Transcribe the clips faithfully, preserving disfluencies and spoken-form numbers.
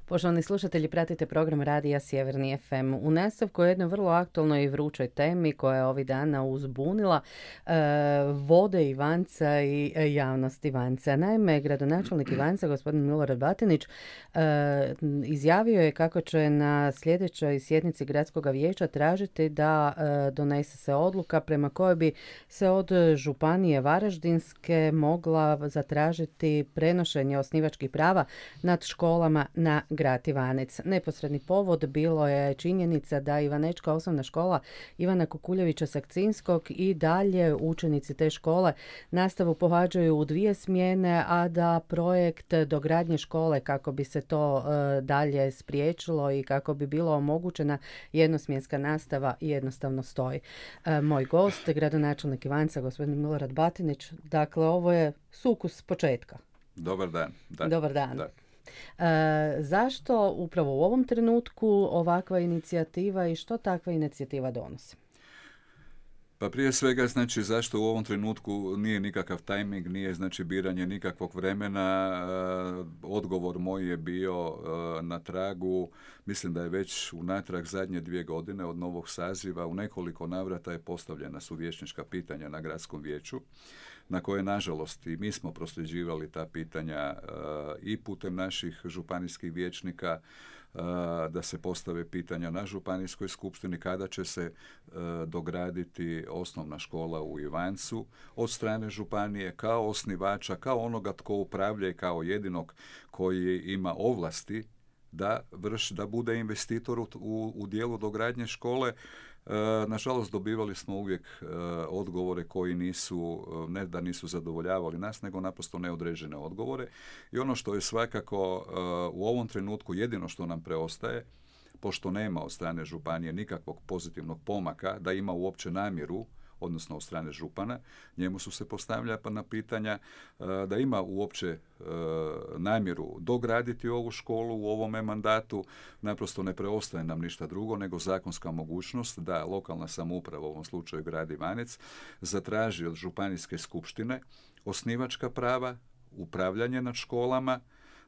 Poštovani slušatelji, pratite program Radija Sjeverni ef em. U nastavku o jednoj vrlo aktualnoj i vrućoj temi koja je ovih dana uzbunila e, vode Ivanca i e, javnost Ivanca. Naime, gradonačelnik Ivanca, gospodin Milorad Batinić, e, izjavio je kako će na sljedećoj sjednici gradskog vijeća tražiti da e, donese se odluka prema kojoj bi se od županije Varaždinske mogla zatražiti prenošenje osnivačkih prava nad školama na grad Ivanec. Neposredni povod bilo je činjenica da Ivanečka osnovna škola Ivana Kukuljevića Sakcinskog i dalje učenici te škole nastavu pohađaju u dvije smjene, a da projekt dogradnje škole kako bi se to e, dalje spriječilo i kako bi bila omogućena jednosmjenska nastava jednostavno stoji. E, moj gost, gradonačelnik Ivanca, gospodin Milorad Batinić, dakle ovo je sukus početka. Dobar dan. Da. Dobar dan. Da. E, zašto upravo u ovom trenutku ovakva inicijativa i što takva inicijativa donosi? Pa prije svega, znači, zašto u ovom trenutku nije nikakav tajming, nije znači biranje nikakvog vremena. E, odgovor moj je bio e, na tragu, mislim da je već unatrag zadnje dvije godine od novog saziva u nekoliko navrata je postavljena su vijećnička pitanja na gradskom vijeću, na koje, nažalost, i mi smo prosljeđivali ta pitanja uh, i putem naših županijskih vijećnika, uh, da se postave pitanja na županijskoj skupštini kada će se uh, dograditi osnovna škola u Ivancu od strane županije kao osnivača, kao onoga tko upravlja i kao jedinog koji ima ovlasti da vrš, da bude investitor u, u, u dijelu dogradnje škole. E, nažalost, dobivali smo uvijek e, odgovore koji nisu, ne da nisu zadovoljavali nas, nego naprosto neodređene odgovore. I ono što je svakako e, u ovom trenutku jedino što nam preostaje, pošto nema od strane županije nikakvog pozitivnog pomaka, da ima uopće namjeru, odnosno od strane župana, njemu su se postavljala na pitanja da ima uopće namjeru dograditi ovu školu u ovome mandatu. Naprosto ne preostaje nam ništa drugo nego zakonska mogućnost da lokalna samouprava, u ovom slučaju grad Ivanec, zatraži od županijske skupštine osnivačka prava, upravljanje nad školama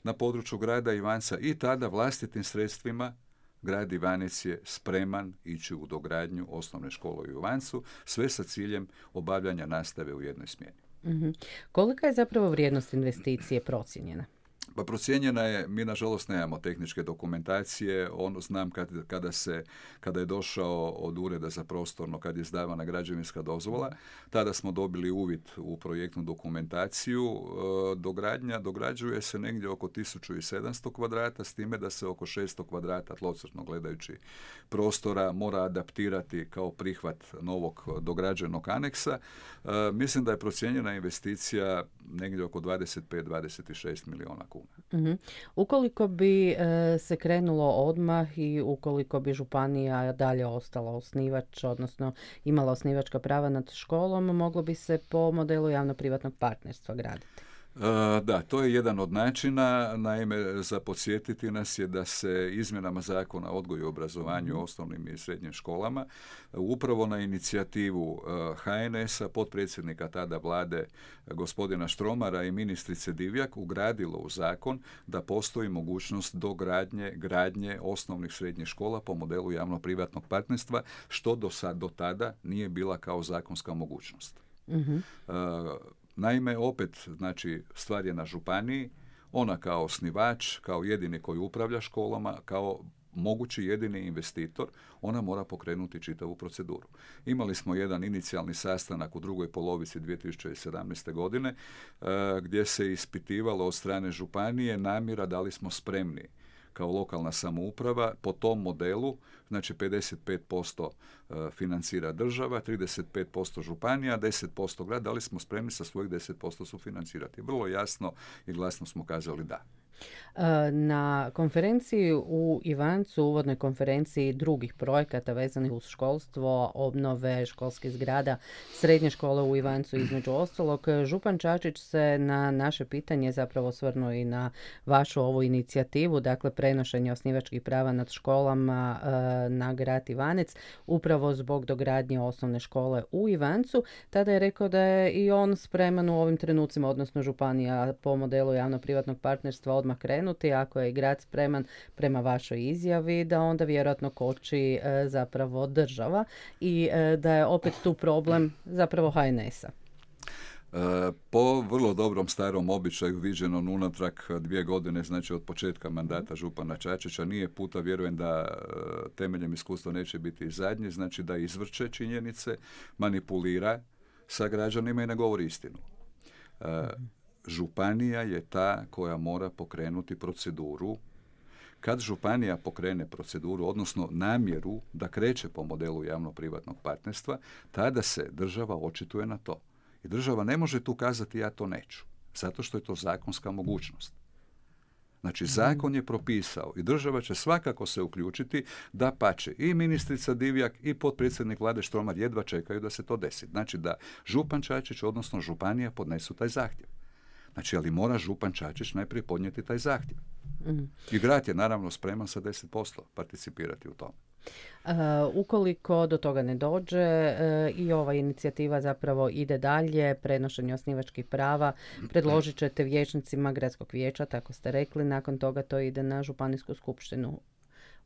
na području grada Ivanca i tada vlastitim sredstvima grad Ivanec je spreman ići u dogradnju osnovne škole u Ivancu, sve sa ciljem obavljanja nastave u jednoj smjeni. Mm-hmm. Kolika je zapravo vrijednost investicije procijenjena? Pa procijenjena je, mi nažalost nemamo tehničke dokumentacije, ono znam kad, kada, se, kada je došao od Ureda za prostorno, kad je izdavana građevinska dozvola, tada smo dobili uvid u projektnu dokumentaciju. E, dogradnja, dograđuje se negdje oko tisuću sedamsto kvadrata, s time da se oko šesto kvadrata tlocrtno gledajući prostora mora adaptirati kao prihvat novog dograđenog aneksa. E, mislim da je procijenjena investicija negdje oko dvadeset pet do dvadeset šest milijuna kuna. Uh-huh. Ukoliko bi e, se krenulo odmah i ukoliko bi županija dalje ostala osnivač, odnosno imala osnivačka prava nad školom, moglo bi se po modelu javno-privatnog partnerstva graditi. Uh, da, to je jedan od načina. Naime, za podsjetiti nas je da se izmjenama zakona o odgoju i obrazovanju u osnovnim i srednjim školama upravo na inicijativu uh, ha en es-a, potpredsjednika tada vlade gospodina Štromara i ministrice Divjak ugradilo u zakon da postoji mogućnost dogradnje, gradnje osnovnih srednjih škola po modelu javno-privatnog partnerstva, što do sad, do tada nije bila kao zakonska mogućnost. Uh-huh. Uh, Naime, opet, znači, stvar je na županiji, ona kao osnivač, kao jedini koji upravlja školama, kao mogući jedini investitor, ona mora pokrenuti čitavu proceduru. Imali smo jedan inicijalni sastanak u drugoj polovici dvije tisuće sedamnaeste. godine, uh, gdje se ispitivalo od strane županije namjera da li smo spremni kao lokalna samouprava po tom modelu, znači pedeset pet posto financira država, trideset pet posto županija, deset posto grad, da li smo spremni sa svojih deset posto sufinancirati. Vrlo jasno i glasno smo kazali da. Na konferenciji u Ivancu, uvodnoj konferenciji drugih projekata vezanih uz školstvo, obnove školskih zgrada, srednje škole u Ivancu između ostalog, župan Čačić se na naše pitanje zapravo osvrnuo i na vašu ovu inicijativu, dakle prenošenje osnivačkih prava nad školama na grad Ivanec, upravo zbog dogradnje osnovne škole u Ivancu. Tada je rekao da je i on spreman u ovim trenucima, odnosno županija po modelu javno-privatnog partnerstva odmah krenuti, ako je i grad spreman prema vašoj izjavi, da onda vjerojatno koči e, zapravo država i e, da je opet tu problem zapravo ha en es a. Po vrlo dobrom starom običaju viđenom unatrag dvije godine, znači od početka mandata župana Čačića, nije puta, vjerujem da temeljem iskustva neće biti i zadnji, znači da izvrće činjenice, manipulira sa građanima i ne govori istinu. Županija je ta koja mora pokrenuti proceduru. Kad županija pokrene proceduru, odnosno namjeru da kreće po modelu javno-privatnog partnerstva, tada se država očituje na to. I država ne može tu kazati ja to neću, zato što je to zakonska mogućnost. Znači, zakon je propisao i država će svakako se uključiti, da pače i ministrica Divjak i potpredsjednik vlade Štromar jedva čekaju da se to desi. Znači da župan Čačić, odnosno županija, podnesu taj zahtjev. Znači, ali mora župan Čačić najprije podnijeti taj zahtjev. Mm. I grad je naravno spreman sa deset posto participirati u tome. Uh, ukoliko do toga ne dođe uh, i ova inicijativa zapravo ide dalje, prenošenje osnivačkih prava, predložit ćete vijećnicima gradskog vijeća, tako ste rekli, nakon toga to ide na županijsku skupštinu.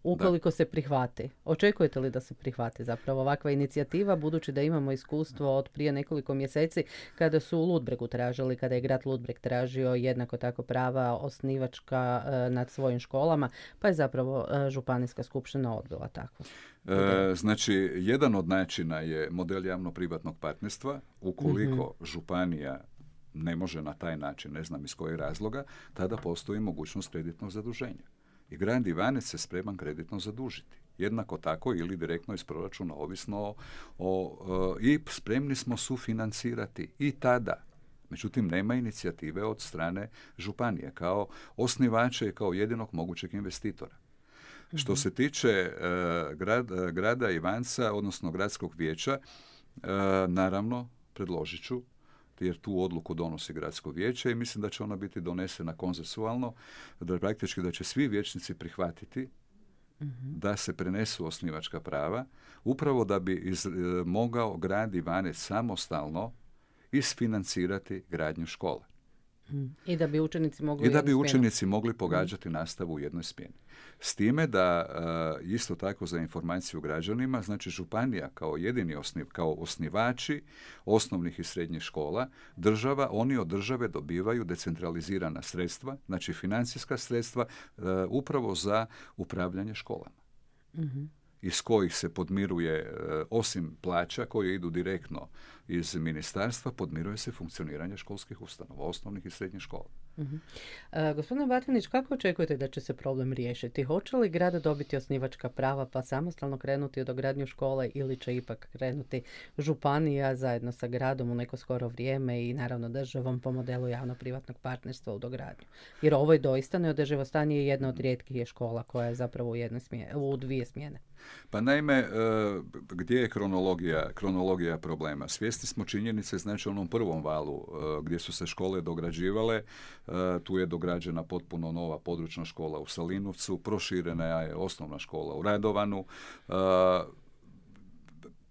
Ukoliko da. se prihvati, očekujete li da se prihvati zapravo ovakva inicijativa, budući da imamo iskustvo od prije nekoliko mjeseci kada su u Ludbregu tražili, kada je grad Ludbreg tražio jednako tako prava osnivačka e, nad svojim školama, pa je zapravo e, županijska skupština odbila takvu. E, znači, jedan od načina je model javno-privatnog partnerstva. Ukoliko mm-hmm. županija ne može na taj način, ne znam iz kojeg razloga, tada postoji mogućnost kreditnog zaduženja. I grad Ivanec se spreman kreditno zadužiti. Jednako tako ili direktno iz proračuna, ovisno o, o, i spremni smo sufinancirati i tada. Međutim, nema inicijative od strane županije kao osnivača i kao jedinog mogućeg investitora. Mm-hmm. Što se tiče uh, grad, uh, grada Ivanca, odnosno gradskog vijeća, uh, naravno, predložit ću, jer tu odluku donosi gradsko vijeće i mislim da će ona biti donesena konsensualno, da praktički da će svi vijećnici prihvatiti mm-hmm. da se prenesu osnivačka prava, upravo da bi iz, e, mogao grad Ivanec samostalno isfinancirati gradnju škole. Mm. I da bi učenici mogli I da bi učenici mogli pogađati mm. nastavu u jednoj smjeni. S time da uh, isto tako za informaciju građanima, znači županija kao jedini osniv, kao osnivači osnovnih i srednjih škola, država, oni od države dobivaju decentralizirana sredstva, znači financijska sredstva uh, upravo za upravljanje školama. Mm-hmm. iz kojih se podmiruje, osim plaća koje idu direktno iz ministarstva, podmiruje se funkcioniranje školskih ustanova, osnovnih i srednjih škola. Uh-huh. Uh, gospodine Batinić, kako očekujete da će se problem riješiti? Hoće li grad dobiti osnivačka prava pa samostalno krenuti u dogradnju škole ili će ipak krenuti županija zajedno sa gradom u neko skoro vrijeme i naravno državom po modelu javno-privatnog partnerstva u dogradnju? Jer ovo je doista neodrživo stanje i jedna od rijetkih je škola koja je zapravo u, jednoj smjene, u dvije smjene. Pa naime, gdje je kronologija, kronologija problema? Svjesni smo činjenice, znači u onom prvom valu gdje su se škole dograđivale, tu je dograđena potpuno nova područna škola u Salinovcu, proširena je osnovna škola u Radovanu.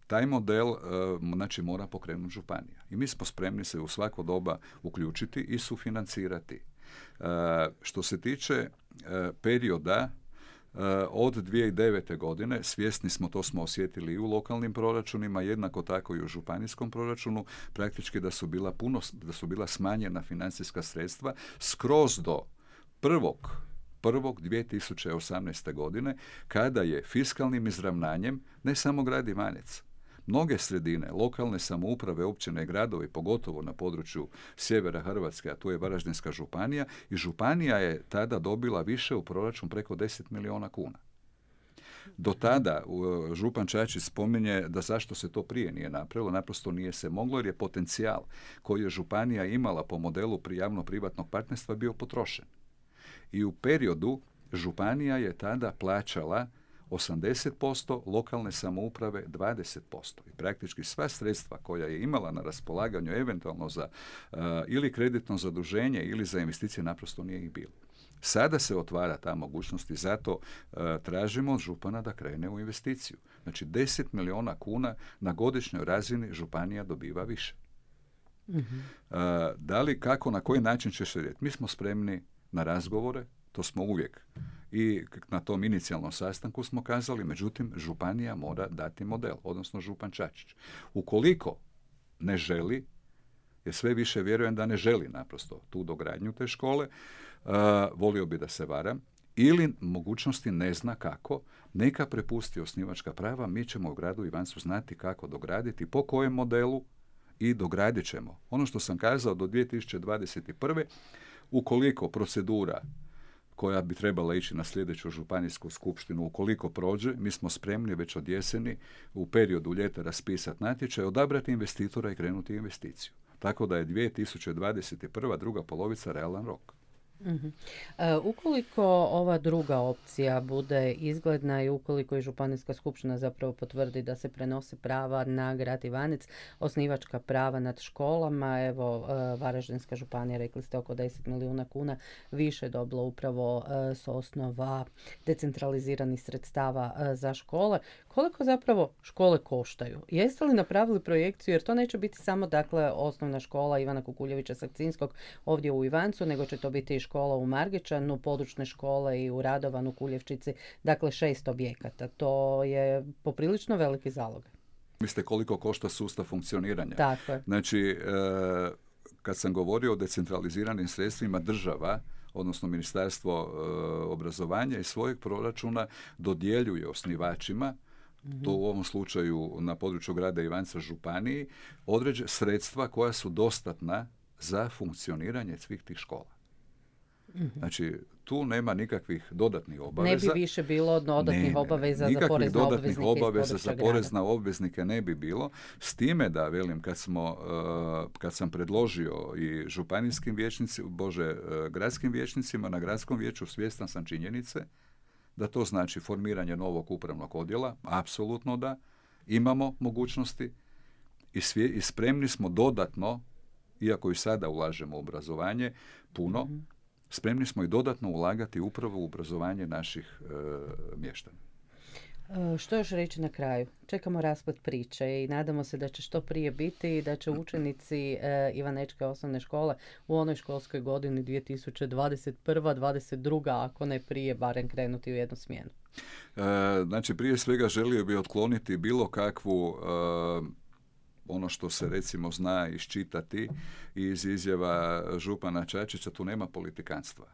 Taj model znači mora pokrenuti županija. I mi smo spremni se u svako doba uključiti i sufinancirati. Što se tiče perioda od dvije tisuće devete. godine, svjesni smo, to smo osjetili i u lokalnim proračunima, jednako tako i u županijskom proračunu, praktički da su bila puno, da su bila smanjena financijska sredstva skroz do prvog prvog dvije tisuće osamnaeste. godine, kada je fiskalnim izravnanjem ne samo grad Ivanec, mnoge sredine, lokalne samouprave, općine i gradovi, pogotovo na području sjevera Hrvatske, a tu je Varaždinska županija, i županija je tada dobila više u proračun preko deset milijuna kuna. Do tada župan Čačić spominje da zašto se to prije nije napravilo, naprosto nije se moglo jer je potencijal koji je županija imala po modelu javno-privatnog partnerstva bio potrošen. I u periodu županija je tada plaćala osamdeset posto, lokalne samouprave dvadeset posto. I praktički sva sredstva koja je imala na raspolaganju eventualno za uh, ili kreditno zaduženje ili za investicije naprosto nije ih bilo. Sada se otvara ta mogućnost i zato uh, tražimo od župana da krene u investiciju. Znači deset milijuna kuna na godišnjoj razini županija dobiva više. Mm-hmm. Uh, da li, kako, na koji način će se riješiti? Mi smo spremni na razgovore, to smo uvijek. I na tom inicijalnom sastanku smo kazali, međutim, županija mora dati model, odnosno župan Čačić. Ukoliko ne želi, jer sve više vjerujem da ne želi naprosto tu dogradnju te škole, uh, volio bi da se varam, ili mogućnosti ne zna kako, neka prepusti osnivačka prava, mi ćemo u gradu Ivancu znati kako dograditi, po kojem modelu, i dogradit ćemo. Ono što sam kazao, do dvije tisuće dvadeset prve. ukoliko procedura koja bi trebala ići na sljedeću županijsku skupštinu, ukoliko prođe, mi smo spremni već od jeseni u periodu ljeta raspisati natječaj, odabrati investitora i krenuti investiciju. Tako da je dvije tisuće dvadeset prva druga polovica realan rok. Uh-huh. E, ukoliko ova druga opcija bude izgledna i ukoliko i županijska skupština zapravo potvrdi da se prenose prava na grad Ivanec, osnivačka prava nad školama, evo e, Varaždinska županija, rekli ste, oko deset milijuna kuna više je dobilo upravo e, s osnova decentraliziranih sredstava e, za škole. Koliko zapravo škole koštaju? Jeste li napravili projekciju, jer to neće biti samo dakle osnovna škola Ivana Kukuljevića Sakcinskog ovdje u Ivancu, nego će to biti i škola u Margičanu, područne škole i u Radovanu, Kuljevčici, dakle šest objekata. To je poprilično veliki zalog. Mislite koliko košta sustav funkcioniranja? Tako je. Znači, e, kad sam govorio o decentraliziranim sredstvima, država, odnosno Ministarstvo e, obrazovanja iz svojeg proračuna dodjeljuje osnivačima, mm-hmm. to u ovom slučaju na području grada Ivanca županiji, određe sredstva koja su dostatna za funkcioniranje svih tih škola. Mm-hmm. Znači, tu nema nikakvih dodatnih obaveza. Ne bi više bilo dodatnih ne, obaveza za porezne obveznike. Nikakvih dodatnih obaveza za porezne obveznike ne bi bilo. S time da, velim, kad, smo, uh, kad sam predložio i županijskim vijećnicima, bože, uh, gradskim vijećnicima na gradskom vijeću, svjestan sam činjenice da to znači formiranje novog upravnog odjela, apsolutno da, imamo mogućnosti i, svje, i spremni smo dodatno, iako i sada ulažemo u obrazovanje, puno, mm-hmm. spremni smo i dodatno ulagati upravo u obrazovanje naših e, mještana. E, što još reći na kraju? Čekamo rasplet priče i nadamo se da će što prije biti i da će učenici e, Ivanečke osnovne škole u onoj školskoj godini dvije tisuće dvadeset prva dvadeset druga ako ne prije, barem krenuti u jednu smjenu. E, znači, prije svega želio bi otkloniti bilo kakvu e, ono što se recimo zna iščitati iz izjava župana Čačića, tu nema politikanstva.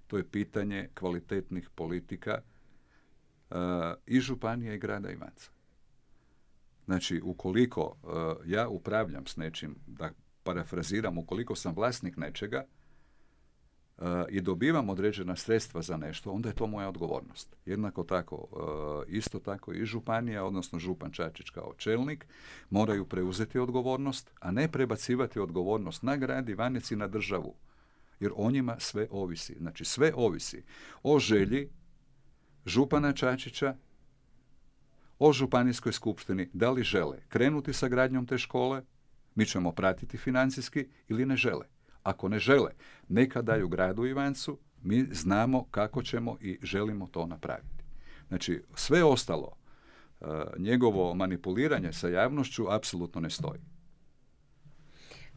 To je pitanje kvalitetnih politika uh, i županije i grada Ivanca. Znači, ukoliko uh, ja upravljam s nečim, da parafraziram, ukoliko sam vlasnik nečega uh, i dobivam određena sredstva za nešto, onda je to moja odgovornost. Jednako tako, uh, isto tako i županija, odnosno župan Čačić kao čelnik, moraju preuzeti odgovornost, a ne prebacivati odgovornost na grad Ivanec i na državu. Jer o njima sve ovisi. Znači, sve ovisi o želji župana Čačića, o županijskoj skupštini, da li žele krenuti sa gradnjom te škole, mi ćemo pratiti financijski, ili ne žele. Ako ne žele, neka daju gradu Ivancu, mi znamo kako ćemo i želimo to napraviti. Znači, sve ostalo, uh, njegovo manipuliranje sa javnošću apsolutno ne stoji.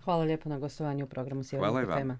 Hvala lijepo na gostovanju u programu Sjevernog F M-a.